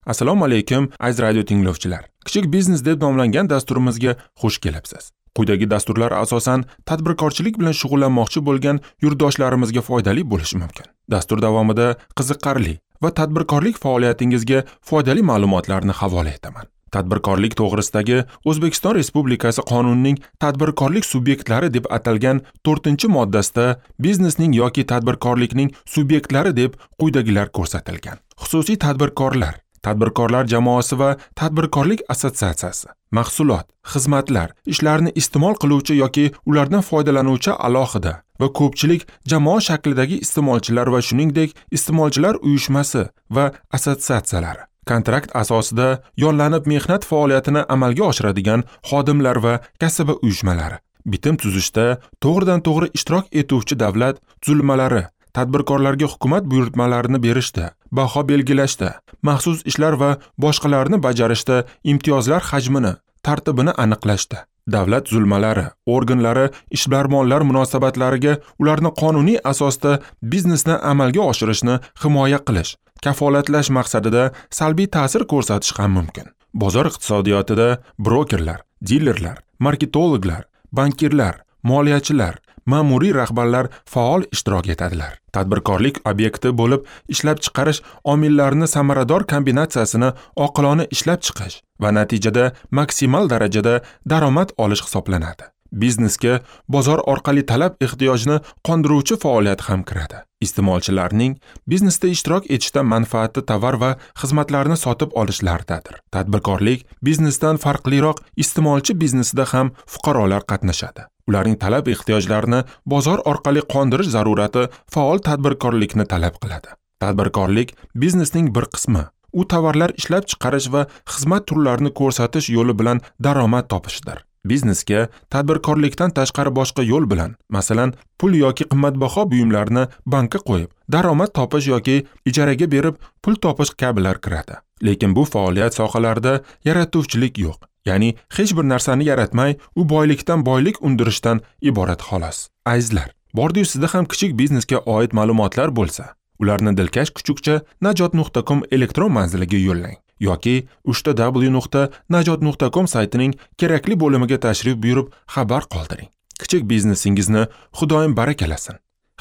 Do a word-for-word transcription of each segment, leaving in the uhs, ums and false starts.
Assalomu alaykum, aziz radio tinglovchilar. Kichik biznes deb nomlangan dasturimizga xush kelibsiz. Quyidagi dasturlar asosan tadbirkorchilik bilan shug'ullanmoqchi bo'lgan yurtdoshlarimizga foydali bo'lishi mumkin. Dastur davomida qiziqarli va tadbirkorlik faoliyatingizga foydali ma'lumotlarni havola etaman. Tadbirkorlik to'g'risidagi O'zbekiston Respublikasi qonunining tadbirkorlik subyektlari deb atalgan to'rtinchi moddasida biznesning yoki tadbirkorlikning subyektlari deb quyidagilar ko'rsatilgan. Xususiy tadbirkorlar, tadbirkorlar jamoasi va tadbirkorlik assotsiatsiyasi, mahsulot, xizmatlar, ishlarni iste'mol qiluvchi yoki ulardan foydalanuvchi alohida va ko'pchilik jamoa shaklidagi iste'molchilar va shuningdek iste'molchilar uyushmasi va assotsiatsiyalari, kontrakt asosida yollanib mehnat faoliyatini amalga oshiradigan xodimlar va kasaba uyushmalari, bitim tuzishda to'g'ridan-to'g'ri ishtirok etuvchi davlat tuzilmalari, tadbirkorlarga hukumat buyurtmalarini berishda, baho belgilashda, maxsus ishlar va boshqalarni bajarishda imtiyozlar hajmini, tartibini aniqlashda, davlat tuzilmalari, organlari ishbilarmonlar munosabatlariga ularni qonuniy asosda biznesni amalga oshirishni himoya qilish, kafolatlash maqsadida salbiy ta'sir ko'rsatish ham mumkin. Bozor iqtisodiyotida brokerlar, dilerlar, marketologlar, bankirlar, moliyachilar, ma'muriy rahbarlar faol ishtirok etadilar. Tadbirkorlik obyekti bo'lib ishlab chiqarish omillarini samarador kombinatsiyasini oqilona ishlab chiqish va natijada maksimal darajada daromad olish hisoblanadi. Biznesga bozor orqali talab ehtiyojni qondiruvchi faoliyat ham kiradi. Iste'molchilarning biznesda ishtirok etishdan manfaati tovar va xizmatlarni sotib olishlaridadir. Tadbirkorlik biznesdan farqliroq iste'molchi biznesida ham fuqarolar qatnashadi. Ularning talab ehtiyojlarini bozor orqali qondirish zarurati faol tadbirkorlikni talab qiladi. Tadbirkorlik biznesning bir qismi. U tovarlar ishlab chiqarish va xizmat turlarini ko'rsatish yo'li bilan daromad topishdir. Biznesga tadbirkorlikdan tashqari boshqa yo'l bilan, masalan, pul yoki qimmatbaho buyumlarni bankka qo'yib, daromad topish yoki ijaraga berib pul topish kabilar kiradi. Lekin bu faoliyat sohalarida yaratuvchilik yo'q. Ya'ni hech bir narsani yaratmay, u boylikdan boylik undirishdan iborat xolos. Azizlar, bordi-yu sizda ham kichik biznesga oid ma'lumotlar bo'lsa, ularni dilkash kuchukcha najot nuqta com elektron manziliga yo'llang yoki uchta w nuqta najot nuqta com saytining kerakli bo'limiga tashrif buyurib xabar qoldiring. Kichik biznesingizni Xudoyim barakalasin.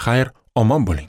Xayr, omon bo'ling.